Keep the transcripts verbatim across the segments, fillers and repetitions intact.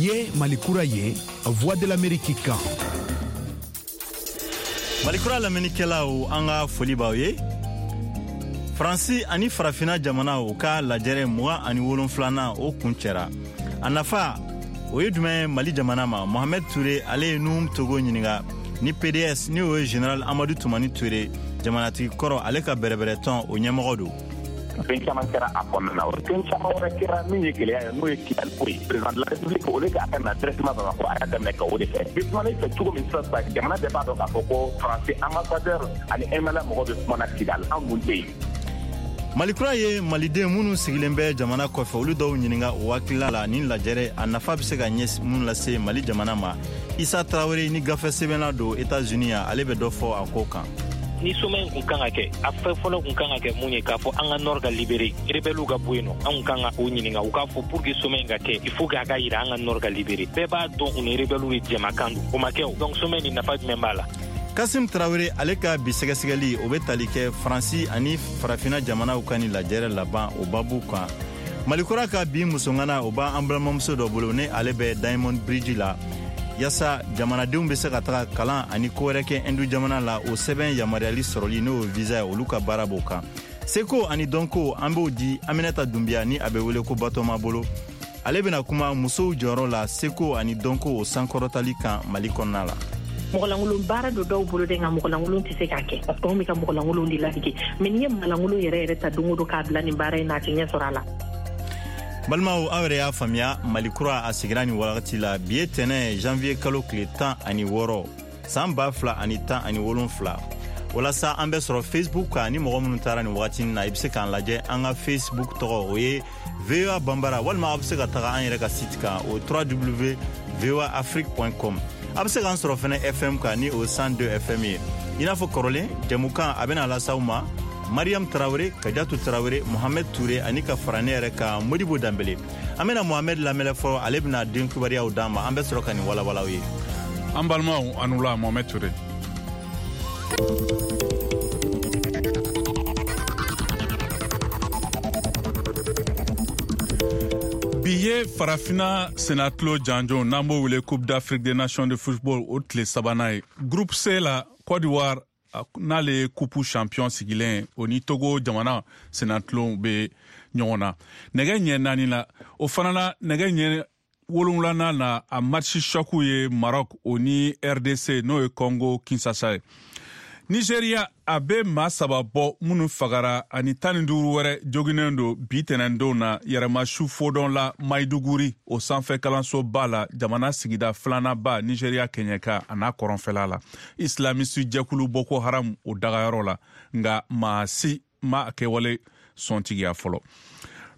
Nin ye Mali Kura ye, Voix de l'Amérique kan. Malikura lamɛnnikɛlaw, an ka foli b'aw ye. Faransi ani Farafina jamanaw ka lajɛrɛ mugan ani wolonfilanan, o kun cɛra. A nafa o ye jumɛn ye Mali jamana ma? Mohamed Ture, ale ye Nuhum Togo ɲininka ni P D S, ni o ye Général Amadu Tumani Ture, jamanatigi kɔrɔ, ale ka bɛrɛbɛrɛtɔn, o ɲɛmɔgɔ don. Fɛn caman kɛra a kɔnɔna na. Fɛn caman wɛrɛ kɛra min ye gɛlɛya ye, n'o ye Kidali ko ye. Président de la République, o ka a ka na directement Bamakɔ, a y'a daminɛ ka o de kɛ. Bi kumana i fɛ cogo min sisan sisan, jamana bɛɛ b'a dɔn k'a fɔ ko Faransi ambassadeur ani M N L A mɔgɔ bɛ kumana Kidali, an kun tɛ yen. Malikura ye maliden minnu sigilen bɛ jamana kɔfɛ, olu dɔw ɲininka o hakilila la nin lajɛrɛ a nafa bɛ se ka ɲɛ mun lase Mali jamana ma. Isa Tarawele ni gafe sɛbɛnna don Etats-Unis yan, ale bɛ dɔ fɔ a ko kan. Ni sommet in kun kan ka kɛ, a fɛn fɔlɔ kun kan ka kɛ mun ye? K'a fɔ an ka nord ka libéré, rebelles ka bɔ yen nɔ. An kun kan ka o ɲininka, u k'a fɔ pour que sommet in ka kɛ, il faut que a ka yira an ka nord ka libéré. Bɛɛ b'a dɔn u ni rebelles de jɛmakan don. O ma kɛ o. Donc sommet nin, nafa jumɛn b'a la? Kasim Tarawele, ale ka bi sɛgɛsɛgɛli, o bɛ tali kɛ Faransi ani Farafina jamanaw ka ni lajɛrɛ laban, o babu kan. Malikura ka bi musongana, o b'an balimamuso dɔ bolo, ni ale bɛ Diamond Bridge la, yaasa jamanadenw bɛ se ka taga kalan ani ko wɛrɛ kɛ Indu jamana la, o sɛbɛn yamaruyali sɔrɔli, n'o ye visa ye, olu ka baara b'o kan. Seko ani dɔnko, an b'o di Aminata Dunbiya, ni a bɛ wele ko Batɔma bolo. Ale bɛna kuma musow jɔyɔrɔ la seko ani dɔnko, o sankɔrɔtali kan Mali kɔnɔna la. Mɔgɔlankolon baara don dɔw bolo dɛ, nka mɔgɔlankolon tɛ se k'a kɛ, parce que anw bɛ ka mɔgɔlankolon de ladege. Mais n'i ye mɔgɔlankolon yɛrɛ yɛrɛ ta don o don k'a bila nin baara in na, a tɛ ɲɛ sɔrɔ a la. Balimaw, aw yɛrɛ y'a faamuya, Mali Kura a sigira nin wagati la. Bi ye tɛnɛ, janvier kalo tile tan ani wɔɔrɔ, san ba fila ani tan ani wolonfila. Walasa an bɛ sɔrɔ Facebook kan, ni mɔgɔ minnu taara nin wagati na, i bɛ se k'an lajɛ. An ka Facebook tɔgɔ, o ye V O A Banbara, walima aw bɛ se ka taga an yɛrɛ ka site kan, o W W W voa afrique com. A bɛ se k'an sɔrɔ fɛnɛ F M kan, ni o cent deux F M ye. I n'a fɔ kɔrɔlen, jɛmukan a bɛna las'aw ma Mariam Tarawele, Kajatu Tarawele, Mohamed Ture ani ka fara ne yɛrɛ kan, Modibo Danbele. An bɛna Mohamed lamɛnɛ fɔlɔ, ale bɛna den kibaruyaw d'an ma, an bɛ sɔrɔ ka nin walawalaw ye. An balimaw, a wula. Mohamed Ture. Bi ye Farafina senatulon janjo, n'an b'o wele Coupe d'Afrique des Nations de football, o tile sabanan ye. Groupe C la, Côte d'Ivoire, n'ale ye coupe champion sigilen, o ni Togo jamana senatulon bɛ ɲɔgɔn na nɛgɛ ɲɛ naani la. O fana na, nɛgɛ ɲɛ wolonwulanan na, a match choc ye Maroc, o ni R D C, n'o ye Congo Kinshasa ye. Nigeria, a bɛ maa saba bɔ minnu fagara ani tan ni duuru wɛrɛ joginnen don bi tɛnɛndon na yɛrɛmasu fodɔn la Maiduguri, o sanfɛ kalansoba la, jamana sigida filananba Nigeria kɛɲɛka a n'a kɔrɔnfɛla la, islamisi jɛkulu Boko Haram o dagayɔrɔ la. Nka maa si ma kɛwale sɔntigiya fɔlɔ.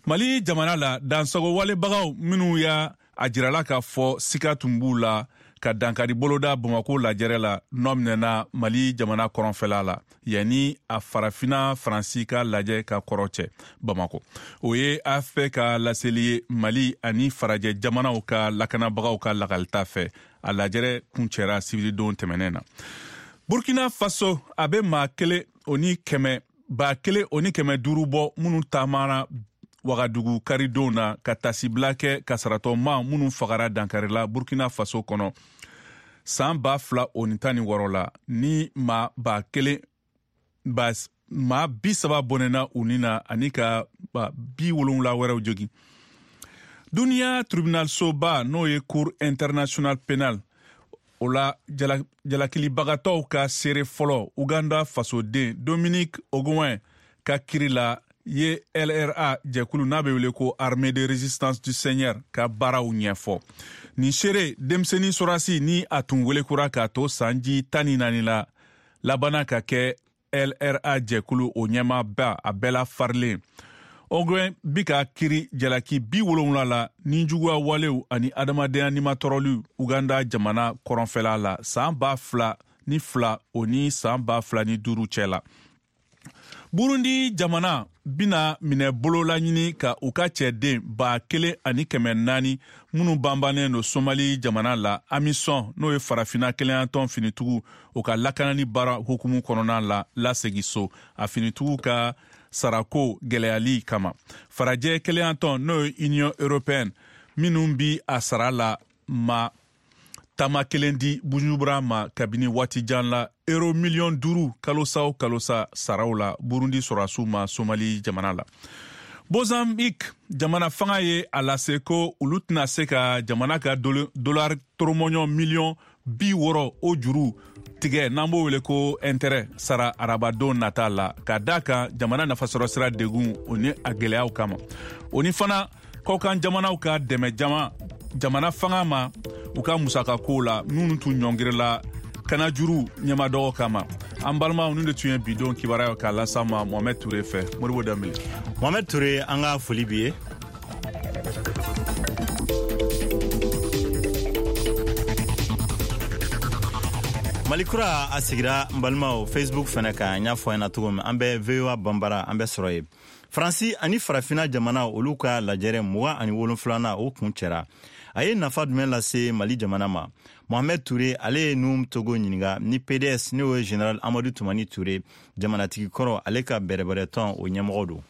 Mali jamana la, dansago walebagaw minnu y'a a jirala k'a fɔ sika tun b'u la ka dankari boloda Bamako lajɛrɛ la, nɔ minɛna Mali jamana kɔrɔnfɛla la yanni a Farafina Faransi ka lajɛ ka kɔrɔ cɛ Bamako. O ye A F P ka laseli ye. Mali ani farajɛ jamanaw ka lakanabagaw ka lakalita fɛ, a lajɛrɛ kuncɛra sibiridon tɛmɛnɛn na. Burkina Faso, a bɛ maa kelen o ni kɛmɛ ba kelen o ni kɛmɛ duuru bɔ minnu taamana Wagadugu karidon na ka tasibila kɛ kasaratɔma minnu fagara dankarila Burkina Faso kɔnɔ san ba fila o ni tan ni wɔɔrɔ la, ni maa ba kelen ba maa bi saba bɔnɛna u ni na ani ka ba bi wolonwula wɛrɛw jogin. Duniya tribunal soba, n'o ye Cour international pénal, o la jalakilibagatɔw ka seere fɔlɔ, Uganda fasoden Dominique Ongwen ka kiri la, ye L R A jɛkulu n'a bɛ wele ko Armée de résistance du Seigneur ka baaraw ɲɛfɔ. Nin seere denmisɛnnin sɔrasi, ni a tun welekura k'a to sanji tan ni naani la, labanna ka kɛ L R A jɛkulu o ɲɛmaaba a bɛɛ la farilen. Ongwen bi ka kiri jalaki bi wolonwula la ni juguya walew ani adamadenya nimatɔrɔliw Uganda jamana kɔrɔnfɛla la san ba fila ni fila o ni san ba fila ni duuru cɛ la. Burundi jamana bina minɛ bolola ɲini ka u ka cɛden ba kelen ani kɛmɛ naani minnu banbannen don Somali jamana la, AMISOM, n'o ye Farafina kelenyatɔn finitigiw, o ka lakanani baara hukumu kɔnɔna la, lasegi so a finitigiw ka sarako gɛlɛyali kama. Farajɛ kelenyatɔn, n'o ye Union européenne, minnu bi a sara la. ma taama kelen di Bujumbura ma kabini waati jan la, euro miliyɔn duuru kalosa o kalosa saraw la Burundi sɔrɔdasiw ma Somali jamana la. Mozambique jamana fanga ye a lase ko olu tɛna se ka jamana ka dollar toromɔɲɔ miliyɔn bi wɔɔrɔ o juru tigɛ, n'an b'o wele ko intérêt, sara arabadon nata la, ka da kan jamana nafasɔrɔsira degun o ni a gɛlɛyaw kama. O ni fana kɔkan jamanaw ka dɛmɛ jama jamana fanga ma u ka musakakow la, minnu tun ɲɔngirila kanajuru ɲɛmadɔgɔ kama. An balimaw, ninnu de tun ye bidon kibaruyaw k'a las'an ma Mohamed Touré fɛ. Modibo Danbele. Mohamed Touré, an ka foli b'i ye. Mali kura a sigira n balimaw Facebook fɛnɛ kan, n y'a fɔ ɲɛna cogo min, an bɛ V O A Banbara, an bɛ sɔrɔ yen. Faransi ani Farafina jamana olu ka lajɛrɛ mugan ani wolonfilanan o kun cɛra. A ye nafa jumɛn lase Mali jamana ma? Mohamed Touré ale ye Nuhum Togo ɲininka ni P D S, n'o ye Général Amadu Tumani Touré jamanatigi kɔrɔ, ale ka bɛrɛbɛrɛtɔn o ɲɛmɔgɔ don.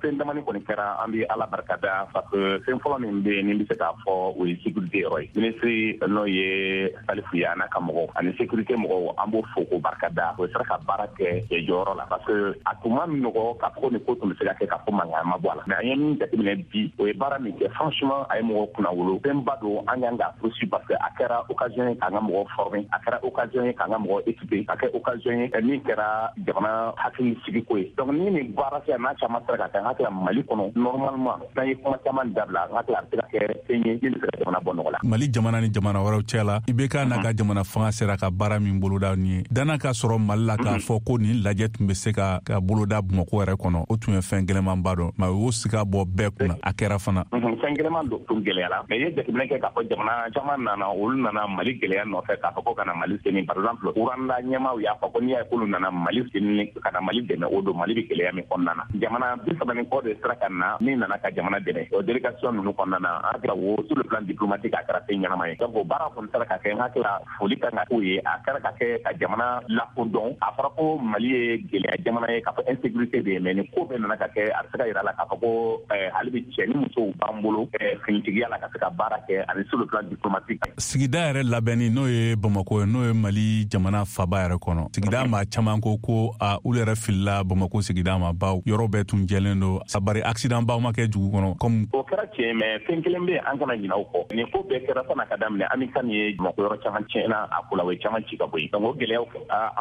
Fɛn damani kɔni kɛra, an bɛ Ala barika da parce que fɛn fɔlɔ min bɛ yen ni bɛ se k'a fɔ o ye sécurité yɔrɔ ye. Ministre n'o ye Salifu ye, a n'a ka mɔgɔw ani sécurité mɔgɔw, an b'o fo k'o barika da. O sera ka baara kɛ jɔyɔrɔ la parce que a tun ma nɔgɔ k'a fɔ ko nin ko tun bɛ se ka kɛ k'a fɔ mankan ma bɔ a la. Mais an ye min jateminɛ bi, o ye baara min kɛ, franchement a ye mɔgɔw kunnawolo. Fɛnba don, an kan k'a poursuivre parce que a kɛra occasion ye k'an ka mɔgɔw former, a kɛra occasion ye k'an ka mɔgɔw équiper, a kɛra occasion ye min kɛra jamana hakili sigiko ye. Donc ni nin baara sera n'a caman sera ka kɛ, n hakili la Mali kɔnɔ normalement n'an ye kuma caman dabila, n hakili la a bɛ se ka kɛ fɛn ye min bɛ se ka jamana bɔ nɔgɔ la. Mali jamana ni jamana wɛrɛw cɛ la, I B K n'a ka jamana fanga sera ka baara min boloda nin ye, danna ka sɔrɔ Mali la k'a fɔ ko nin lajɛ tun bɛ se ka ka boloda Bamakɔ yɛrɛ kɔnɔ, o tun ye fɛn gɛlɛnmanba dɔ, mais o y'o siga bɔ bɛɛ kunna, a kɛra fana. Fɛn gɛlɛnman don, tun gɛlɛyara, mais i ye jateminɛ kɛ k'a fɔ jamana caman nana, olu nana Mali gɛlɛya nɔfɛ k'a fɔ ko ka na Mali seni. Par exemple Rwanda ɲɛmaaw y'a fɔ ko n'i y'a ye k'olu nana Mali seni ka na Mali dɛmɛ, o don Mali bɛ gɛlɛya min kɔnɔna na. Jamana bi saba ni kɔ de sera ka na min nana ka jamana dɛmɛ o délégation ninnu kɔnɔna na, an hakili la o sur le plan diplomatique a kɛra fɛn ɲɛnama ye. Donc o baara kɔni sera ka kɛ, n hakili la foli kan ka k'o ye. A kɛra ka kɛ ka jamana lakodɔn. A fɔra ko Mali ye gɛlɛya jamana ye, k'a fɔ insécurité bɛ yen, mais nin ko bɛɛ nana ka kɛ, a bɛ se ka yira la k'a fɔ ko hali bi cɛ ni musow b'an bolo finitigiya la ka se ka baara kɛ ani sur le plan diplomatique. Sigida yɛrɛ labɛnni, n'o ye Bamakɔ ye, n'o ye Mali jamana faba yɛrɛ kɔnɔ, sigida maa caman ko ko a olu yɛrɛ filila Bamakɔ sigida ma, baw yɔrɔ bɛɛ tun jɛlen don, bari accident baw ma kɛ dugu kɔnɔ comme o kɛra tiɲɛ. Mais fɛn kelen bɛ yen, an kana ɲinɛ o kɔ. Nin ko bɛɛ kɛra san'a ka daminɛ, Amican ye Bamakɔ yɔrɔ caman tiɲɛna a ko la, o ye caman ci ka bɔ yen. Donc o gɛlɛyaw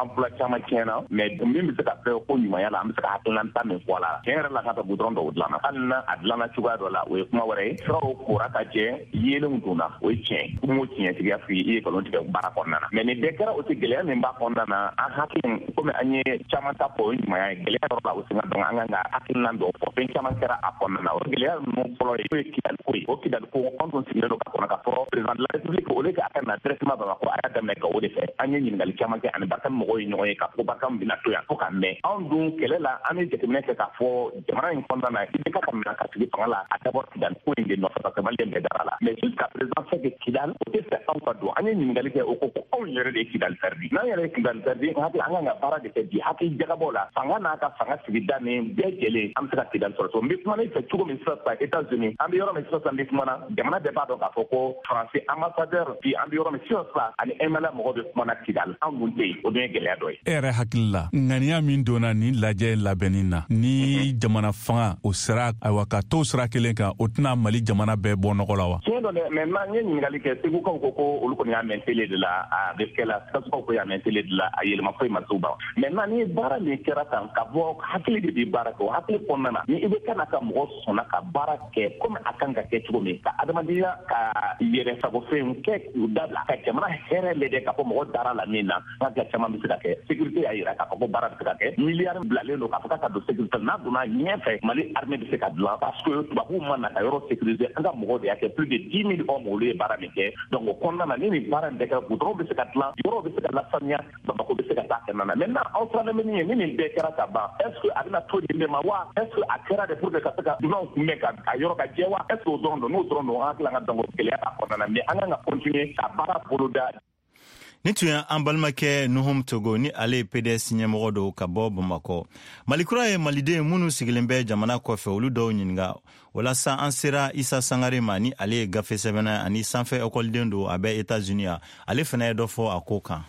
emploi caman tiɲɛna, mais min bɛ se ka fɛ ko ɲumanya la, an bɛ se ka hakilinata min fɔ a la, tiɲɛ yɛrɛ la ka taa goudron dɔw dilanna, hali n'a a dilanna cogoya dɔ la, o ye kuma wɛrɛ ye. Siraw kora ka jɛ, yeelenw donna, o ye tiɲɛ. N m'o tiɲɛtigiya f'i ye, i ye nkalon tigɛ baara kɔnɔna na. Mais nin bɛɛ kɛra, o tɛ gɛlɛya min b'a kɔnɔna na, an hakili komi an ye caman ta fɔ, o ye ɲumanya ye. Gɛlɛya yɔrɔ la, o sen ka dɔn, an kan ka hakilina dɔw fɔ. Fɛn caman kɛra a kɔnɔna na. O gɛlɛya ninnu fɔlɔ ye, n'o ye Kidali ko ye. O Kidali ko, anw tun sigilen don ka kɔnɔ k'a fɔ président de la République o de a ka na directement Bamakɔ, a y'a daminɛ Gawo de fɛ. An ye ɲininkali caman kɛ ani Barkhane mɔgɔw ye ɲɔgɔn ye k'a fɔ ko Barkhane bɛna to yan fo ka mɛn. Anw dun kɛlɛ la, an ye jateminɛ kɛ k'a fɔ jamana in kɔnɔna na, I B K ka na ka sigi fanga la, a dabɔ Kidali ko in de nɔfɛ parce que Maliyɛn bɛɛ dara la. Mais jusqu'à présent c'est que Kidali o tɛ fɛ anw ka don. An ye ɲininkali kɛ, o ko ko anw yɛrɛ de ye Kidali perdu. N'an yɛrɛ ye Kidali perdu, n hakili an kan ka baara de kɛ bi hakili jagabɔ la, fanga n'a ka fanga sigida ni bɛɛ jɛlen, an bɛ se ka Kidali sɔrɔ. N bɛ kuma ne fɛ cogo min sisan sisan États-Unis, an bɛ yɔrɔ min sisan sisan n bɛ kuma na, jamana bɛɛ b'a dɔn k'a fɔ ko Faransi ambassadeur bi, an bɛ yɔrɔ min sisan sisan ani M L A mɔgɔw bɛ kuma na Kidali, anw dun tɛ yen, o dun ye gɛlɛya dɔ ye. E yɛrɛ hakili la, ŋaniya min donna nin lajɛ labɛnni na, ni jamana fanga o sera, ayiwa ka to sira kelen kan, o tɛna Mali jamana bɛɛ bɔ nɔgɔ la wa? Tiɲɛ don dɛ, mais n ye ɲininkali kɛ, Segukaw ko ko olu kɔni y'a mɛn télé de la, a bɛ kɛ la, Sikasokaw ko y'a mɛn télé de la, a yɛlɛma foyi ma s'u ma. Maintenant ni baara min kɛra tan, ka bɔ hakili de bɛ baara kɛ, o hakili kɔnɔna na, ni i bɛ ka na ka mɔgɔ sɔnna ka baara kɛ komi a kan ka kɛ cogo min, ka adamadenya ka yɛrɛ sagofɛnw kɛ k'u dabila, ka jamana hɛrɛ lajɛ k'a fɔ mɔgɔ dara la min na, n hakili caman bɛ se ka kɛ. Sécurité y'a yira k'a fɔ ko baara bɛ se ka kɛ. Miliyari bilalen don k'a fɔ k'a ka don sécurité, n'a donna ɲɛfɛ, Mali armée bɛ se ka dilan parce que tubabuw ma na ka yɔrɔ sécuriser, an ka mɔgɔw de y'a kɛ, plus de dix mille hommes olu ye baara min kɛ. Donc o kɔnɔna na, ni nin baara in bɛɛ kɛra, goudron bɛ se ka dilan, yɔrɔw bɛ se ka lasaniya, Bamakɔ bɛ se ka taa kɛnɛ na. Maintenant aw siranlen bɛ min ye, ni nin bɛɛ kɛra ka ban, est ce que a bɛna to nin de ma wa? Est ce que a kɛra de pour que ka se ka dunanw kunbɛn ka a yɔrɔ ka jɛ wa? Est ce que o dɔrɔn don? N'o dɔrɔn don, an hakili la ka dɔn gɛlɛya b'a kɔnɔna na, mais an kan ka continuer ka baara boloda. Ni tun ye an balimakɛ Nuhum Togo ni ale ye P D S ɲɛmɔgɔ don ka bɔ Bamakɔ. Malikura ye maliden minnu sigilen bɛ jamana kɔfɛ, olu dɔw ɲininka. Walasa an sera Isa Sangare ma, ni ale ye gafe sɛbɛnna ani sanfɛ ekɔliden don, a bɛ Etats-Unis yan. Ale fana ye dɔ fɔ a ko kan.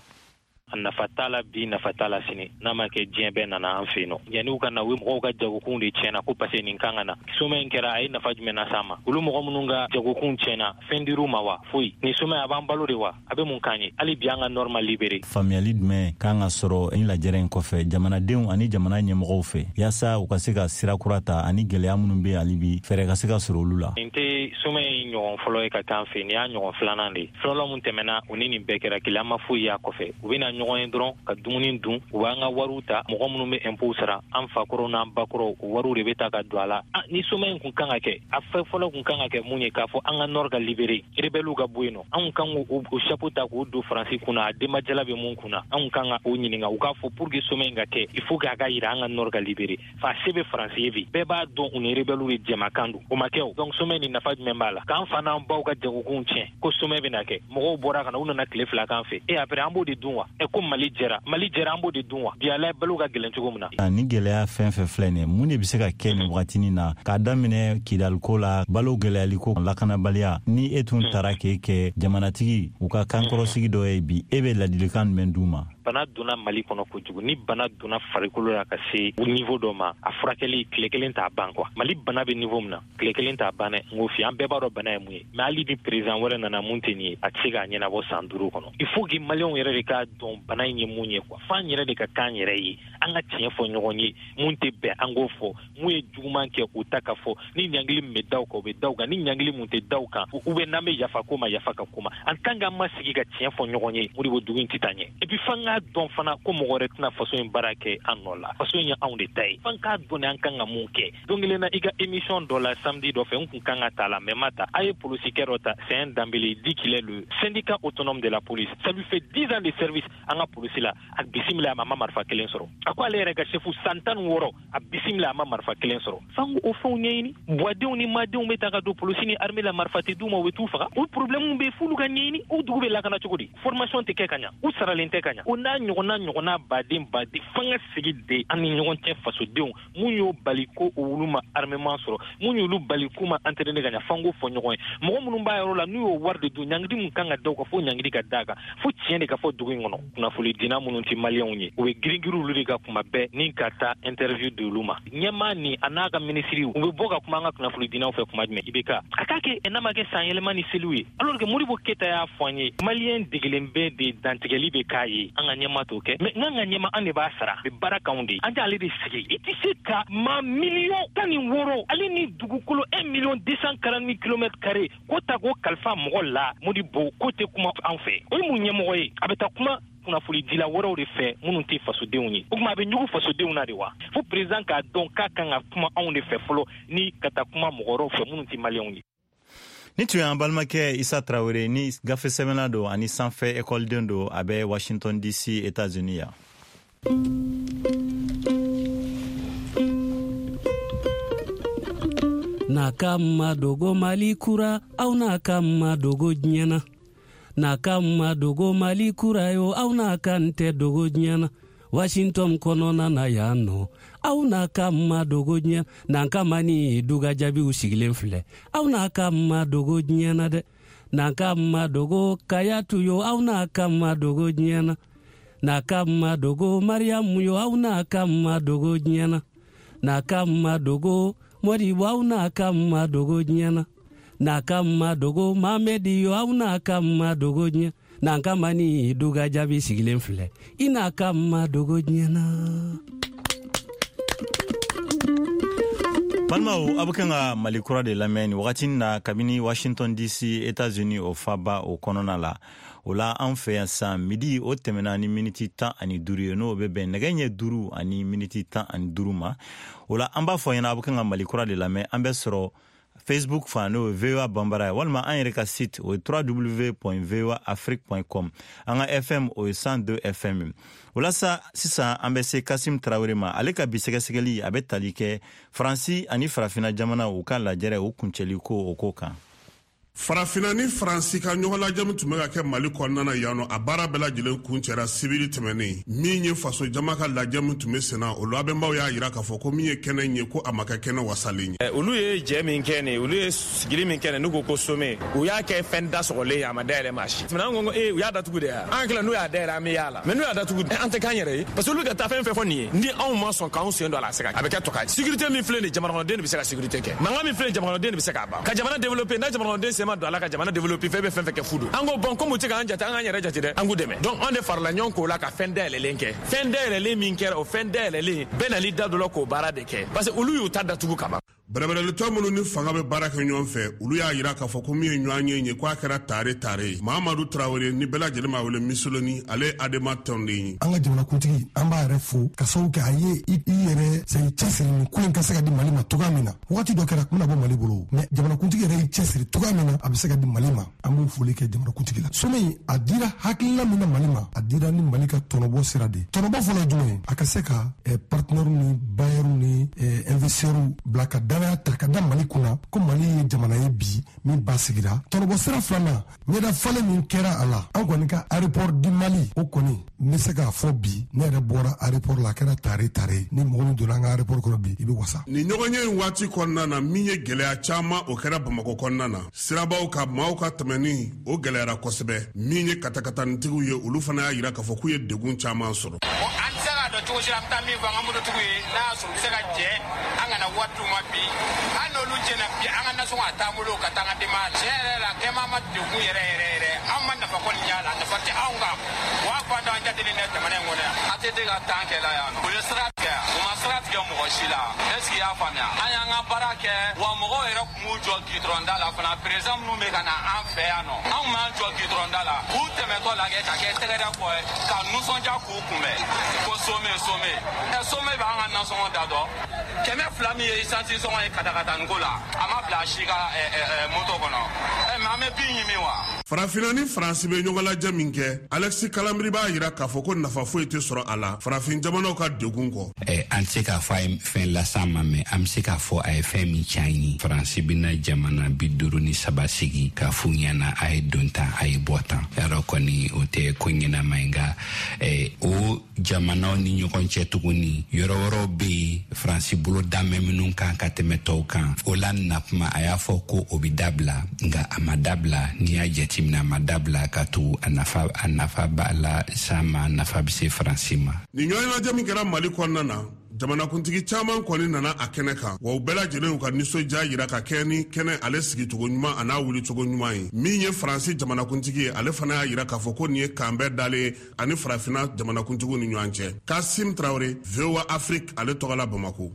A nafa t'a la bi, nafa t'a la sini. N'a ma kɛ, diɲɛ bɛɛ nana an fɛ yen nɔ. Yanni u ka na, u mɔgɔw ka jagokunw de tiɲɛna ko parce que nin kan ka na. Sommet in kɛra, a ye nafa jumɛn las'an ma? Olu mɔgɔ minnu ka jagokunw tiɲɛna, fɛn dir'u ma wa? Foyi. Nin sommet, a b'an balo de wa? A bɛ mun k'an ye? Hali bi, an ka nord ma libéré. Faamuyali jumɛn kan ka sɔrɔ ni lajɛrɛ in kɔfɛ jamanadenw ani jamana ɲɛmɔgɔw fɛ, yaasa u ka se ka sira kura ta, ani gwɛlɛya minnu be hali bi, fɛɛrɛ ka se ka sɔrɔ olu la? Nin tɛ sommet in ɲɔgɔn fɔlɔ ye ka k'an fɛ. Nin y'a ɲɔgɔn filanan de ye. Fɔlɔ mun tɛmɛna, o ni nin bɛɛ kɛra kelen. An ma foyi y'a kɔfɛ. U bɛna ɲɔgɔn ye dɔrɔn ka dumuni dun, u b'an ka wariw ta. Mɔgɔ minnu bɛ impôt sara, an fakɔrɔw n'an bakɔrɔw, o wariw de bɛ ta ka don a la. Ni sommet in kun kan ka kɛ, a fɛn fɔlɔ kun kan ka kɛ mun ye? K'a fɔ an ka nord ka libéré, rebelles ka bɔ yen nɔ. Anw kan k'o chapeau ta k'o don Faransi kunna, a denbajala bɛ mun kunna? Anw kan ka o ɲininka, u k'a fɔ pour que sommet in ka kɛ, il faut k'a ka yira an ka nord ka libéré. Fa se bɛ Faransi ye bi, bɛɛ b'a dɔn u ni rebelles de jɛmakan don. O ma kɛ o. Donc sommet nin, nafa jumɛn b'a la? K'an fa n'an baw ka jagokunw tiɲɛ ko sommet bɛna kɛ. Mɔgɔw bɔra ka na, u nana tile fila kan fɛ e après, an b'o de dun wa? Ɛ, ko Mali jɛra, Mali jɛra, an b'o de dun wa? Bi, ala balo ka gɛlɛn cogo min na. Ni gɛlɛya fɛn fɛn filɛ nin ye, mun de bɛ se ka kɛ nin wagatinin na, k'a daminɛ Kidaliko la, balo gɛlɛyaliko, lakanabaliya? Ni e tun taara k'e kɛ jamanatigi u ka kankɔrɔsigi dɔ ye bi, e bɛ ladilikan jumɛn d'u ma? Bana donna Mali kɔnɔ kojugu. Ni bana donna farikolo la ka se niveau dɔ ma, a furakɛli tile kelen t'a ban quoi. Mali bana bɛ niveau min na, tile kelen t'a ban dɛ. N k'o f'i, an bɛɛ b'a dɔn bana ye mun ye. Mais hali ni président wɛrɛ nana mun tɛ nin ye, a tɛ se k'a ɲɛnabɔ san duuru kɔnɔ. Il faut que maliyɛnw yɛrɛ de k'a dɔn bana in ye mun ye quoi. F'an yɛrɛ de ka k'an yɛrɛ ye, an ka tiɲɛ fɔ ɲɔgɔn ye. Mun tɛ bɛn, an k'o fɔ. Mun ye juguman kɛ, o ta ka fɔ. Ni ɲangili min bɛ da o kan, o bɛ da o kan. Ni ɲangili mun tɛ da o kan, ou bien n'an bɛ yafa ko ma, yafa ka ko ma. En tant que an ma sigi ka tiɲɛ fɔ ɲɔgɔn ye, Modibo, dugu in tɛ taa ɲɛ. Et puis f'an k'a dɔn fana ko mɔgɔ wɛrɛ tɛna faso in baara kɛ an nɔ la. Faso in ye anw de ta ye. F'an k'a dɔn de an kan ka mun kɛ. Don kelen na, i ka émission dɔ la samedi dɔ fɛ, n kun kan ka ta la, mais ma ta. A ye polisikɛ dɔ ta, c'est un Dembélé, il dit qu'il est le syndicat autonome de la police. Ça lui fait dix ans de service an ka polisi la. A bisimila, a ma ma marifa kelen sɔrɔ. A ko ale yɛrɛ ka chef, san tan ni wɔɔrɔ, a bisimila, a ma marifa kelen sɔrɔ. F'an k'o fɛnw ɲɛɲini. Buwadenw ni madenw bɛ ta ka don polisi ni armée la, marifa tɛ d'u ma, u bɛ t'u faga. O problème bɛ, f'olu ka ɲɛɲini. O dugu bɛ lakana cogo di? Formation tɛ kɛ ka ɲa, u saralen tɛ ka ɲa. O n'a ɲɔgɔnna ɲɔgɔnna baden baden. F'an ka sigi de an ni ɲɔgɔn cɛ, fasodenw. Mun y'o bali ko olu ma armement sɔrɔ? Mun y'olu bali k'u ma entraîner ka ɲa? F'an k'o fɔ ɲɔgɔn ye. Mɔgɔ minnu b'a yɔrɔ la, n'u y'o wari de dun, ɲangili mun kan ka da u kan, fo ɲangili ka d'a kan. Fo tiɲɛ de ka fɔ dugu in kɔnɔ. Kunnafoni dina minnu tɛ maliyɛnw ye, u bɛ girin-girin olu de ka kuma bɛɛ ni ka taa interview di olu ma. Ɲɛmaa ni a n'a ka minisiri, u bɛ bɔ ka kuma an ka kunnafoni dinaw fɛ kuma jumɛn? I bɛ ka a k'a kɛ, n'a ma kɛ san yɛlɛma ni seliw ye. Alors que Modibo Keyita y'a fɔ an ye, maliyɛn degelen bɛ de dantigɛli bɛ k'a ye. An ka ɲɛma t'o kɛ. Mais n'an ka ɲɛma, an de b'a sara, bɛ baara k'anw de ye, an t'ale de sigi. I tɛ se ka maa miliyɔn tan ni wɔɔrɔ, ale ni dugukolo un million deux cent quarante mille kilomètres carrés, ko ta k'o kalifa mɔgɔ la. Modibo ko tɛ kuma an fɛ. O ye mun ɲɛmɔgɔ ye? A bɛ taa kuma kunnafonidila wɛrɛw de fɛ minnu tɛ fasodenw ye. O tuma, a bɛ ɲugu fasodenw na de wa? Fo président k'a dɔn k'a kan ka kuma anw de fɛ fɔlɔ, ni ka taa kuma mɔgɔ wɛrɛw fɛ minnu tɛ maliyɛnw ye. Ni tun y'an balimakɛ Isa Tarawele, ni gafe sɛbɛnna don ani sanfɛ ekɔliden don, a bɛ Washington D C, États-Unis yan. N'a ka ma dogo Mali kura, aw n'a ka ma dogo diɲɛ na. N'a ka ma dogo Mali kura yo, aw n'a ka n tɛ dogo diɲɛ na. Washington kɔnɔna na yan nɔ, aw n'a ka ma dogo diɲɛ. N'an ka ma ni duga jaabiw sigilen filɛ, aw n'a ka ma dogo diɲɛ na dɛ. N'an ka ma dogo Kayatu yo, aw n'a ka ma dogo diɲɛ na. N'a ka ma dogo Mariyamu yo, aw n'a ka ma dogo diɲɛ na. N'a ka ma dogo Modibo, aw n'a ka ma dogo diɲɛ na. N'a ka ma dogo Mamɛdi yo, aw n'a ka ma dogo diɲɛ. N'an ka ma ni duga jaabi sigilen filɛ, i n'a ka ma dogo diɲɛ na. Balimaw, a bɛ kan ka Mali kura de lamɛn nin wagati na kabini Washington D C, États-Unis, o faba o kɔnɔna la. O la, an fɛ yan san, midi o tɛmɛna ni miniti tan ani duuru ye, n'o bɛ bɛn nɛgɛ ɲɛ duuru ani miniti tan ani duuru ma. O la, an b'a fɔ ɲɛna, a bɛ kan ka Mali kura de lamɛn. An bɛ sɔrɔ Facebook fan, n'o ye V O A Banbara ye, walima an yɛrɛ ka site, o ye W W W point voa afrique point com. An ka F M, o ye cent deux F M. O la sa, sisan an bɛ se Kasim Tarawele ma. Ale ka bi sɛgɛsɛgɛli, a bɛ tali kɛ Faransi ani Farafina jamana u ka lajɛrɛ o kuncɛli ko o ko kan. Farafinna ni Faransi ka ɲɔgɔnlajɛ min tun bɛ ka kɛ Mali kɔnɔna na yan nɔ, a baara bɛɛ lajɛlen kuncɛra sibiri tɛmɛnen. Min ye faso jama ka lajɛ min tun bɛ senna, o labɛnbaw y'a jira k'a fɔ ko min ye kɛnɛ in ye, ko a ma kɛ kɛnɛ wasalen ye. Olu ye jɛ min kɛ nin, olu ye sigili min kɛ nin, n'u ko ko sommet, u y'a kɛ fɛn da sɔgɔlen ye, a ma dayɛlɛ maa si. An ko ko ee, u y'a datugu de ya. An tila n'u y'a dayɛlɛ, an bɛ y'a la. Mais n'u y'a datugu, an tɛ k'an yɛrɛ ye. Parce que olu ka taa fɛn fɛn fɔ nin ye, ni anw ma sɔn k'anw sen don a la, a se ka a bɛ kɛ tɔka ye. Sécurité min filɛ nin ye, jamanakɔnɔden de bɛ se ka sécurité kɛ. Mankan min filɛ nin ye, jamanakɔnɔden de bɛ se k'a ban. Ka jamana développer, n'a jamanakɔnɔden sen ma don a la ka jamana développer, fɛn bɛ fɛn fɛn kɛ fu don. An ko bon, comme u tɛ k'an jate, an k'an yɛrɛ jate dɛ, an k'u dɛmɛ. Donc an de farala ɲɔgɔn k'o la ka fɛn dayɛlɛlen kɛ. Fɛn dayɛlɛlen min kɛra, o fɛn dayɛlɛlen bɛɛ nali da dɔ la k'o baara de kɛ. Parce que olu y'u ta datugu ka ban. Bɛrɛbɛrɛlitɔ minnu ni fanga bɛ baara kɛ ɲɔgɔn fɛ, olu y'a jira k'a fɔ ko min ye ɲɔgɔn ye ye, k'a kɛra tare tare ye. Mahamadu Tarawele ni bɛɛ lajɛlen b'a wele Misoloni, ale ye Adema tɔnden ye. An ka jamanakuntigi, an b'a yɛrɛ fo ka sababu kɛ a ye i yɛrɛ sɛ cɛsiri nin ko in ka se ka di Mali ma cogoya min na. Wagati dɔ kɛra a tun bɛna bɔ Mali bolo, mais jamanakuntigi yɛrɛ y'i cɛsiri cogoya min na a bɛ se ka di Mali ma, an b'o foli kɛ jamanakuntigi la. Sommet in, a dira hakilina min na Mali ma, a dira ni Mali ka tɔnɔbɔ sira de ye. Tɔnɔbɔ fɔlɔ ye jumɛn ye? A ka se ka partenaires ni bailleurs ni investisseurs bila ka danaya ta ka da Mali kunna ko Mali ye jamana ye bi min ba sigira. Tɔnɔbɔ sira filanan, ɲɛda falen min kɛra a la, an kɔni ka aéroport du Mali, o kɔni n bɛ se k'a fɔ bi, ne yɛrɛ bɔra aéroport la, a kɛra tare tare. Ni mɔgɔ min donna an ka aéroport kɔnɔ bi, i bɛ wasa. Nin ɲɔgɔnye in waati kɔnɔna na, min ye gɛlɛya caman o kɛra Bamakɔ kɔnɔna na, sirabaw ka maaw ka tɛmɛni o gɛlɛyara kosɛbɛ. Min ye katakatanitigiw ye, olu fana y'a jira k'a fɔ k'u ye degun caman sɔrɔ. An tɛ se k'a dɔn cogo si la, an bɛ taa min fɔ an ka mototigiw ye, n'a y'a sɔrɔ u bɛ se ka jɛ an kana wari d'u ma bi. Hali n'olu jɛna bi, an ka nasɔngɔ a t'an bolo ka taa an ka denbaya la. Tiɲɛ yɛrɛ la, kɛma ma degun yɛrɛ yɛrɛ yɛrɛ, an ma nafa kɔni y'a la, nafa tɛ anw kan. Wa fan dɔ an jatelen tɛ jamana in kɔnɔ yan. A T T ka tan kɛla yan nɔ, u ye sira tigɛ, u ma sira tigɛ mɔgɔ si la. Est ce que i y'a faamuya? An y'an ka baara kɛ, wa mɔgɔw yɛrɛ tun b'u jɔ gidɔrɔn da la fana. Président minnu bɛ ka na an fɛ yan nɔ, anw m'an jɔ gidɔrɔn da la k'u tɛmɛtɔ lajɛ ka kɛ tɛgɛrɛ kɔ ye, ka nisɔndiya k'u kunbɛn ko sommet sommet. Ɛ sommet b'an ka nasɔngɔ da dɔn. Kɛmɛ fila min ye isansi sɔngɔ ye katakataniko la, a ma bila si ka moto kɔnɔ. Ɛ mais an bɛ bin ɲimi wa? Farafinna ni Faransi bɛ ɲɔgɔn lajɛ min kɛ, Alexis Kalambry b'a jira k'a fɔ ko nafa foyi tɛ sɔrɔ a la farafin jamanaw ka degun kɔ. Ɛ an tɛ se k'a fɔ a ye fɛn las'an ma, mais an bɛ se k'a fɔ a ye fɛn min tiɲɛ an ye. Faransi bɛna jamana bi duuru ni saba sigi k'a f'u ɲɛna a ye don tan, a ye bɔ tan. Yarɔ kɔni o tɛ ko ɲɛnama ye, nka o jamanaw ni ɲɔgɔn cɛ tuguni, yɔrɔ wɛrɛw bɛ yen Faransi bolo danbɛ minnu kan ka tɛmɛ tɔw kan. O la na kuma a y'a fɔ ko o bɛ dabila, nka a ma dabila. N'i y'a jateminɛ, a ma dabila ka to a nafa a nafa b'a la s'a ma, a nafa bɛ se Faransi ma. Nin ɲɔgɔnlajɛ min kɛra Mali kɔnɔna na, jamanakuntigi caman kɔni nana a kɛnɛ kan, wa u bɛɛ lajɛlen y'u ka nisɔndiya jira ka kɛ ni kɛnɛ ale sigicogo ɲuman a n'a wulicogo ɲuman ye. Min ye Faransi jamanakuntigi ye, ale fana y'a jira k'a fɔ ko nin ye kanbɛn dalen ye ani farafinna jamanakuntigiw ni ɲɔgɔn cɛ. Kasim Tarawele, V O A Afrique, ale tɔgɔ la Bamakɔ.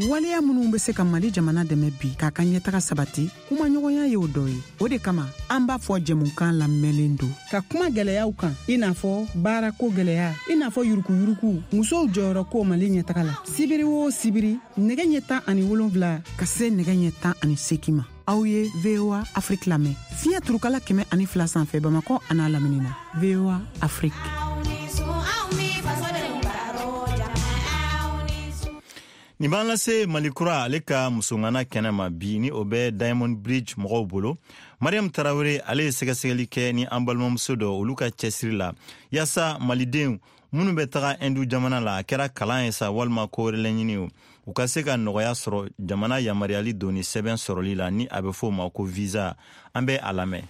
Waleya minnu bɛ se ka Mali jamana dɛmɛ bi k'a ka ɲɛtaga sabati, kumaɲɔgɔnya y'o dɔ ye. O de kama an b'a fɔ jɛmukan lamɛnlen don ka kuma gɛlɛyaw kan, i n'a fɔ baarako gɛlɛya, i n'a fɔ yurukuyuruku, musow jɔyɔrɔ ko Mali ɲɛtaga la. Sibiri o sibiri, nɛgɛ ɲɛ tan ani wolonfila ka se nɛgɛ ɲɛ tan ani seegin ma, aw ye V O A Afrique lamɛn fiɲɛ turukala kɛmɛ ani fila sanfɛ Bamakɔ an'a lamini na. V O A Afrique. Nin b'an lase Mali kura ale ka musongana kɛnɛ ma bi, ni o bɛ Diamond Bridge mɔgɔw bolo. Mariam Tarawele ale ye sɛgɛsɛgɛli kɛ ni an balimamuso dɔ olu ka cɛsiri la yaasa malidenw minnu bɛ taga Indu jamana la, a kɛra kalan ye sa walima ko wɛrɛ laɲini o, u ka se ka nɔgɔya sɔrɔ jamana yamaruyali donni sɛbɛn sɔrɔli la, ni a bɛ fɔ o ma ko visa. An bɛ a lamɛn.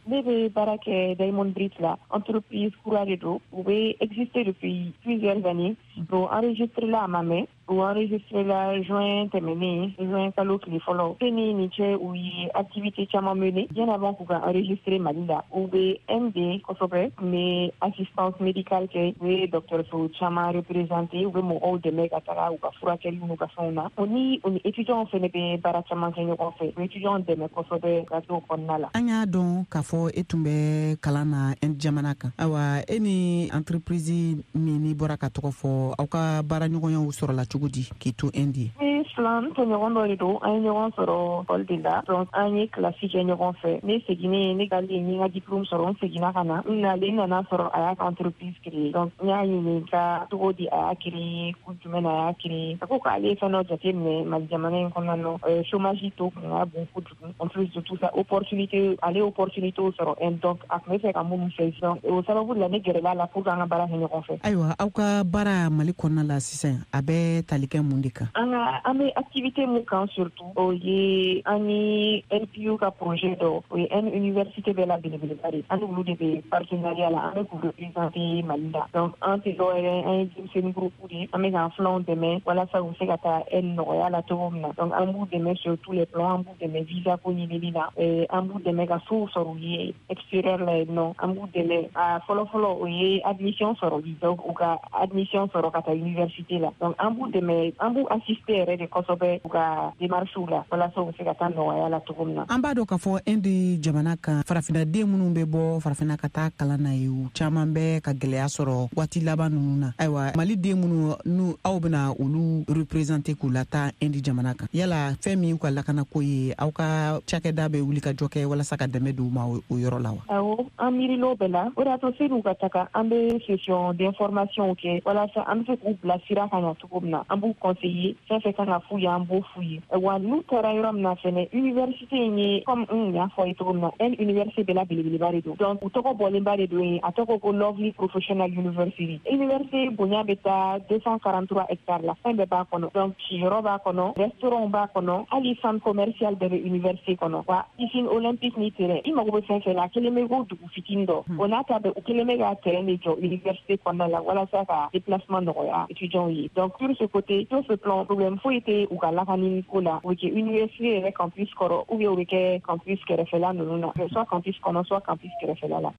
Ne bɛ baara kɛ Diamond Bridge la, entreprise kura de don, u bɛ exister depuis plusieurs années. Donc enregistré la a ma mɛn, u enregistré la juin tɛmɛnen, juin kalo tile fɔlɔ. E ni nin cɛ, u ye activité caman mené bien avant k'u ka enregistrer Mali la. U bɛ M D kosɛbɛ, u bɛ assistance médicale kɛ, u bɛ dɔgɔtɔrɔso caman représenter, u bɛ mɔgɔw dɛmɛ ka taga u ka furakɛli n'u ka fɛnw na. O ni u ni étudiants fɛnɛ bɛ baara caman kɛ ɲɔgɔn fɛ, u bɛ étudiants dɛmɛ kosɛbɛ ka t'o kɔnɔna la. An y'a dɔn k'a fɔ e tun bɛ kalan na Inde jamana kan. Ayiwa, e ni entreprise min n'i bɔra ka tɔgɔ fɔ, aw ka baaraɲɔgɔnyaw sɔrɔla cogo di k'i to Inde? N Ne filan n tɔɲɔgɔn dɔ de don, an ye ɲɔgɔn sɔrɔ école de la. Donc an ye kilasi kɛ ɲɔgɔn fɛ. Ne seginnen, ne taalen n ye n ka diplôme sɔrɔ, n seginna ka na. N nalen, n nana sɔrɔ a y'a ka entreprise créer. Donc n y'a ɲininka cogo di a y'a créer, kun jumɛn na a y'a créer. A ko k'ale ye fɛn dɔ jateminɛ Mali jamana in kɔnɔna na, chômage taux kun ka bon kojugu. En plus de tout ça, opportunité, ale opportunité sɔrɔ, donc a tun bɛ fɛ ka minnu fɛ. Donc o sababu la ne gɛrɛla la pour que an ka baara kɛ ɲɔgɔn fɛ. Ayiwa, aw ka baara Mali kɔnɔna la sisan, a bɛ tali kɛ mun de kan? An ka an bɛ activité mun kan surtout, o ye an ni N P U ka projet dɔ, o ye N université bɛɛ la belebeleba de, an n'olu de bɛ partenariat la, an bɛ k'u représenter Mali la. Donc an tɛ dɔwɛrɛ, an ye denmisɛnnin groupe de ye, an bɛ k'an filanw dɛmɛ walasa u bɛ se ka taa N nɔgɔya la cogo min na. Donc an b'u dɛmɛ sur tous les plans, an b'u dɛmɛ visa ko ɲinini na, an b'u dɛmɛ ka sow sɔrɔ u ye extérieur la yen nɔ, an b'u dɛmɛ a fɔlɔ-fɔlɔ o ye admission sɔrɔli, donc u ka admission sɔrɔ ka taa université la. Donc an b'u dɛmɛ, an b'u assister yɛrɛ de kosɛbɛ u ka démarches la walasa u bɛ se ka taa nɔgɔya la cogo min na. An b'a dɔn k'a fɔ Inde jamana kan, farafinnaden minnu bɛ bɔ farafinna ka taa kalan na ye, u caman bɛ ka gɛlɛya sɔrɔ waati laban ninnu na. Ayiwa, Mali den minnu n'u aw bɛna olu représenter k'u lataa Inde jamana kan, yala fɛn min y'u ka lakanako ye, aw ka cakɛda bɛ wuli ka jɔ kɛ walasa ka dɛmɛ d'u ma o yɔrɔ la wa? Awɔ, an miiril'o bɛɛ la. O de y'a to sen'u ka taga, an bɛ session d'information kɛ walasa an bɛ se k'u bila sira kan ɲa cogo min na. An b'u conseiller, fɛn fɛn kan ka f'u ye, an b'o f'u ye. Wa n'u taara yɔrɔ min na fɛnɛ, université in ye, comme n y'a fɔ ye cogo min na, N université bɛɛ la belebeleba de don. Donc u tɔgɔ bɔlenba de don yen, a tɔgɔ ko Lovely Professional University. Université bonya bɛ taa deux cent quarante-trois hectares la, fɛn bɛɛ b'a kɔnɔ. Donc siyɔrɔ b'a kɔnɔ, restaurant b'a kɔnɔ, hali centre commercial bɛɛ bɛ université kɔnɔ. Wa piscine olympique ni terrain, i mago bɛ fɛn fɛn la, a kelen bɛ ko dugu fitinin dɔ. O n'a ta bɛɛ, u kelen bɛ ka terrain de jɔ université kɔnɔna la walasa ka déplacement nɔgɔya étudiants ye. Donc sur ce côté, sur ce plan, problème foyi tɛ u ka lakani ko la. U bɛ kɛ université yɛrɛ campus kɔrɔ, ou bien u bɛ kɛ campus kɛrɛfɛla ninnu na, soit campus kɔnɔ, soit campus kɛrɛfɛla la.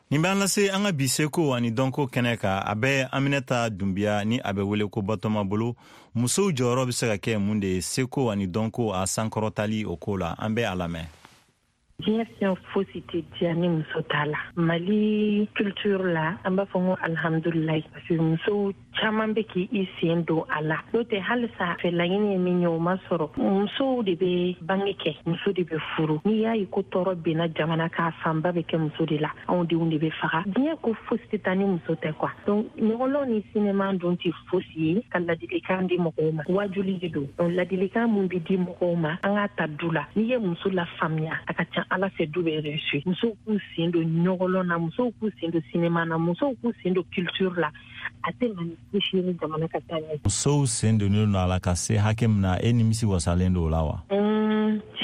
Nin b'an lase an ka bi seko ani dɔnko kɛnɛ kan. A bɛ Aminata Dunbiya ni a bɛ wele ko Batɔma bolo. Musow jɔyɔrɔ bɛ se ka kɛ mun de ye seko ani dɔnko a sankɔrɔtali o ko la? An bɛ a lamɛn. Diɲɛ fɛn fosi tɛ diya ni muso t'a la. Mali culture la, an b'a fɔ ko alhamdulilayi, parce que musow caman bɛ k'i sen don a la. N'o tɛ halisa fɛ laɲini ye min ye, o ma sɔrɔ. Musow de bɛ bange kɛ, muso de bɛ furu. N'i y'a ye ko tɔɔrɔ benna jamana kan, fanba bɛ kɛ muso de la. Anw denw de bɛ faga. Diɲɛ ko fosi tɛ taa ni muso tɛ quoi. Donc ɲɔgɔlɔn ni sinema dun tɛ fosi ye ka ladilikan di mɔgɔw ma. Wajuli de don. Donc ladilikan mun bɛ di mɔgɔw ma, an k'a ta du la. N'i ye muso lafaamuya, a ka ca Ala fɛ du bɛ réussir. Musow k'u sen don ɲɔgɔlɔn na, musow k'u sen don sinema na, musow k'u sen don culture la. A tɛ na ni fosi ye ni jamana ka taa ɲɛ. Musow sen donnen don a la ka se hakɛ min na, e nimisi wasalen don o la wa?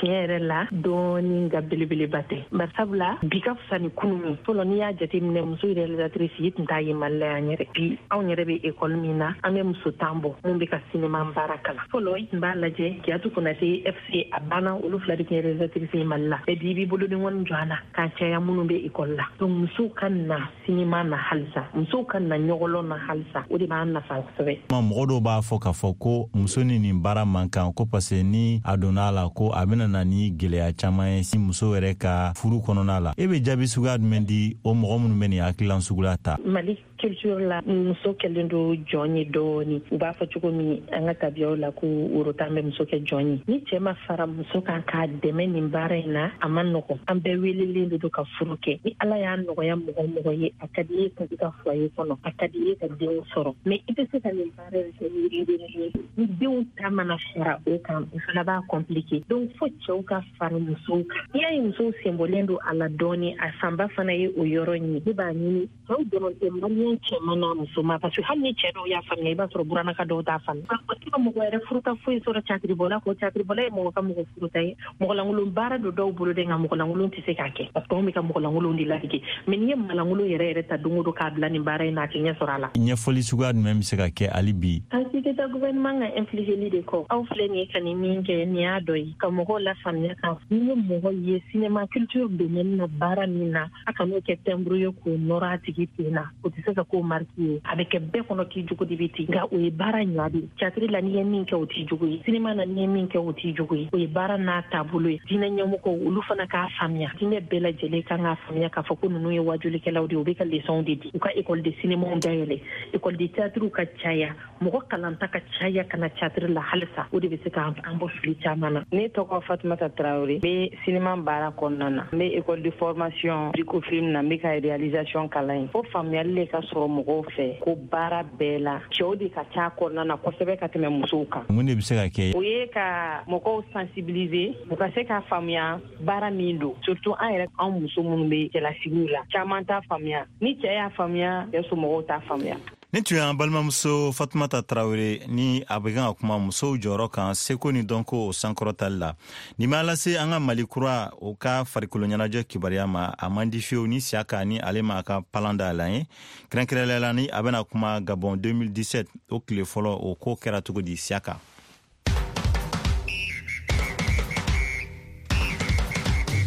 Tiɲɛ yɛrɛ la, dɔɔni, nka belebeleba tɛ. Barisabula bi ka fisa ni kunun ye. Fɔlɔ n'i y'a jateminɛ, muso réalisatrice i tun t'a ye Mali la yan yɛrɛ. Bi anw yɛrɛ bɛ école min na, an bɛ muso tan bɔ mun bɛ ka sinema baara kalan. Fɔlɔ i tun b'a lajɛ Kiyatu Konate F C a banna, olu fila de tun ye réalisatrice ye Mali la. Mais bi i b'i bolodenkɔni jɔ a la k'a caya minnu bɛ école la. Donc musow ka na sinema na halisa, musow ka na ɲɔgɔlɔn na halisa, o de b'an nafa kosɛbɛ. Mɔgɔ dɔw b'a fɔ k'a fɔ ko muso ni nin baara man kan, ko parce que ni a donna a la, ko a bɛna na ni gɛlɛya caman ye si muso yɛrɛ ka furu kɔnɔna la. E bɛ jaabi suguya jumɛn di o mɔgɔ minnu bɛ nin hakililan suguya ta? Mali culture la, muso kɛlen don jɔn ye dɔɔni. U b'a fɔ cogo min an ka tabiyaw la ko worotan bɛ muso kɛ jɔn ye. Ni cɛ ma fara muso kan k'a dɛmɛ nin baara in na, a ma nɔgɔn. An bɛɛ welelen de don ka furu kɛ. Ni Ala y'a nɔgɔya mɔgɔ mɔgɔ ye, a ka di i ye ka i ka foyer kɔnɔ, a ka di i ye ka denw sɔrɔ. Mais i tɛ se ka nin baara in kɛ ni ni denw ta mana fara o kan, o fana b'a compliqué. Donc fo cɛw ka fara musow kan. N'i y'a ye musow senbɔlen don a la dɔɔni, a fanba fana ye o yɔrɔ in ye. Ne b'a ɲini cɛw dɔrɔn tɛ, maliyɛn cɛman n'a musoman, parce que hali ni cɛ dɔw y'a faamuya, i b'a sɔrɔ buranaka dɔw t'a faamuya. O tɛ ka mɔgɔ yɛrɛ furuta foyi sɔrɔ catiribɔla kɔ. Catiribɔla ye mɔgɔ ka mɔgɔ furuta ye. Mɔgɔlankolon baara don dɔw bolo dɛ, nka mɔgɔlankolon tɛ se k'a kɛ, parce que anw bɛ ka mɔgɔlankolon de ladege. Mais n'i ye malankolon yɛrɛ yɛrɛ ta don o don k'a bila nin baara in na, a tɛ ɲɛ sɔrɔ a la. Ɲɛfɔli suguya jumɛn bɛ se ka kɛ hali bi? An si tɛ taa gouvernement ka impliquer de kɔ. Aw filɛ nin ye ka nin min kɛ, nin y'a dɔ ye ka mɔgɔw lafaamuya kan. N'i ye mɔgɔ ye cinéma culture domaine na baara min na, a kan'o kɛ timbre ye k'o nɔrɔ a tigi sigi ten na, o tɛ se ka k'o marque ye. A bɛ kɛ bɛɛ kɔnɔ k'i jogo de bɛ ten, nka o ye baara ɲa de ye. Théâtre la, n'i ye min kɛ, o t'i jogo ye. Cinéma na, n'i ye min kɛ, o t'i jogo ye. O ye baara n'a taabolo ye. Diinɛ ɲɛmɔgɔw, olu fana k'a faamuya. Diinɛ bɛɛ lajɛlen kan k'a faamuya k'a fɔ ko ninnu ye wajulikɛlaw de ye, u bɛ ka leçons de di. U ka école de cinéma dayɛlɛ, école de théâtre ka caya, mɔgɔ kalanta ka caya ka na théâtre la halisa. O de bɛ se k'an bɔ fili caman na. Ne tɔgɔ Fatumata Traoré, n bɛ cinéma baara kɔnɔna na, n bɛ école de formation Bricofilm na, n bɛ ka réalisation kalan yen. Fo faamuyali de ka sɔrɔ mɔgɔw fɛ ko baara bɛɛ la cɛw de ka ca kɔnɔna na kosɛbɛ ka tɛmɛ musow kan. Mun de bɛ se ka kɛ? O ye ka mɔgɔw sensibiliser, u ka se k'a faamuya baara min don, surtout an yɛrɛ, an muso minnu bɛ cɛlasigiw la, caman t'a faamuya. Ni cɛ y'a faamuya, cɛ somɔgɔw t'a faamuya. Ni tun y'an balimamuso Fatumata Tarawele ni a bɛ kan ka kuma musow jɔyɔrɔ kan seko ni dɔnko o sankɔrɔtali la. Nin b'a lase an ka Mali kura o ka farikolo ɲɛnajɛ kibaruya ma. A man di fiyewu ni Siyaka ni ale ma a ka palan dayɛlɛ an ye, kɛrɛnkɛrɛnnenya la ni a bɛna kuma Gabon deux mille dix-sept, o tile fɔlɔ, o ko kɛra cogo di, Siyaka?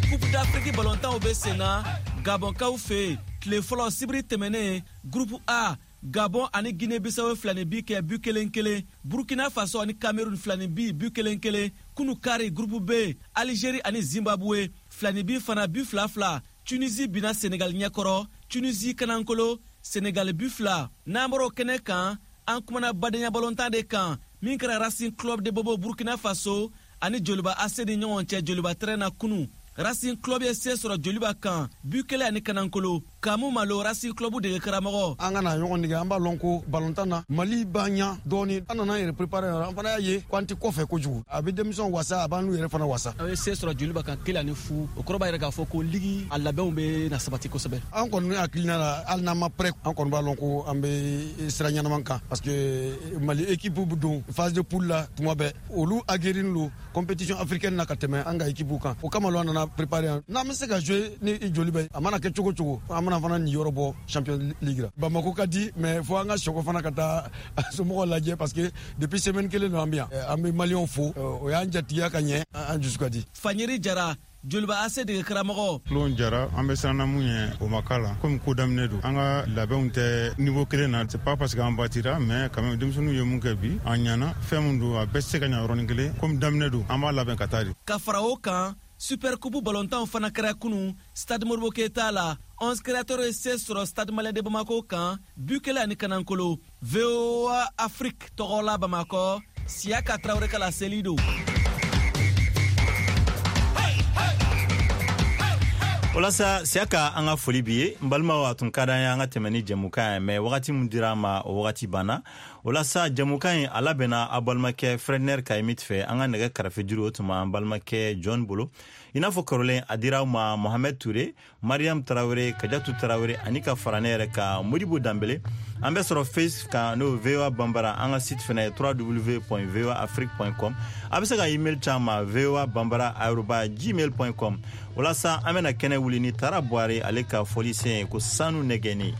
Coupe d'Afrique balontanw bɛ sen na Gabɔnkaw fɛ yen. Tile fɔlɔ, sibiri tɛmɛnen, groupe A, Gabon ani Guinée Bissau filani bi kɛ bu kelen kelen. Burkina Faso ani Cameroun filani bi bu kelen kelen. Kunu kari, groupe B, Algérie ani Zimbabwe filani bi fana bu fila fila. Tunisie binna Senegal ɲɛkɔrɔ, Tunisie kanankolo, Senegal bu fila. N'an bɔra o kɛnɛ kan, an kumana badenya balontan de kan min kɛra Racing Club de Bobo, Burkina Faso, ani Joliba A C ni ɲɔgɔn cɛ Joliba terrain na kunu. Racing Club ye se sɔrɔ Joliba kan, bu kelen ani kanankolo. Kamu Malo, Racing Club dege karamɔgɔ. An ka na ɲɔgɔn nige, an b'a lɔn ko balontan na Mali b'an ɲa dɔɔni. An nana yɛrɛ préparer, an fana y'a ye ko an tɛ kɔfɛ kojugu. A bɛ denmisɛnw wasa, a b'an n'u yɛrɛ fana wasa. Aw ye se sɔrɔ Joliba kan kelen ani fu. O kɔrɔ b'a yɛrɛ k'a fɔ ko ligue a labɛnw bɛ na sabati kosɛbɛ. An kɔni hakilina la, hali n'an ma prêt, an kɔni b'a lɔn ko an bɛ sira ɲɛnaman kan, parce que Mali équipe bɛ don phase de poule la tuma bɛɛ, olu aguerri don compétition africaine na ka tɛmɛ an ka équipe kan. O kama an nana préparer. N'an bɛ se ka jouer ni Joliba ye, a mana kɛ cogo cogo, an bɛna fana nin yɔrɔ bɔ Champion League la. Bamako ka di, mais fo an ka sɔgɔ fana ka taa somɔgɔw lajɛ, parce que depuis semaine kelen don an bɛ yan. An bɛ Maliyɛnw fo, o y'an jatigiya ka ɲɛ, an dusu ka di. Fanyeri Jara, Joliba A C dege karamɔgɔ. Tulon jara, an bɛ siran mun ye, o ma k'a la, komi ko daminɛ don, an ka labɛnw tɛ niveau kelen na. C'est pas parce que an batira, mais quand même denmisɛnninw ye mun kɛ bi, an ɲana. Fɛn mun don, a bɛɛ tɛ se ka ɲa yɔrɔnin kelen. Komi daminɛ don, an b'a labɛn ka taa de. Ka fara o kan, Super Coupe balontanw fana kɛra kunu Stade Modibo Keita la. Onze Créateurs ye se sɔrɔ Stade Malien de Bamako kan, bu kelen ani kanankolo. V O A Afrique tɔgɔ la, Bamakɔ, Siyaka Tarawele ka laseli don. Walasa Siyaka, an ka foli bi ye. N balimaw, a tun ka d'an ye an ka tɛmɛ ni jɛmukan ye, mais wagati min dira an ma, o wagati banna. O la sa, jɛmukan in a labɛnna a balimakɛ Fredner Kayimit fɛ. An ka nɛgɛ karafe juru, o tun b'an balimakɛ John bolo. I n'a fɔ kɔrɔlen, a dira aw ma Mohamɛd Ture, Mariam Tarawele, Kajatu Tarawele ani ka fara ne yɛrɛ ka Modibo Danbele. An bɛ sɔrɔ Facebook kan, n'o V O A Banbara. An ka site fɛnɛ ye W W W point voa afrique point com. A bɛ se ka email ci an ma voa banbara arobase gmail point com. Walasa an bɛna kɛnɛ wuli ni Tara Buware ale ka fɔlisen ye ko sanu nɛgɛni.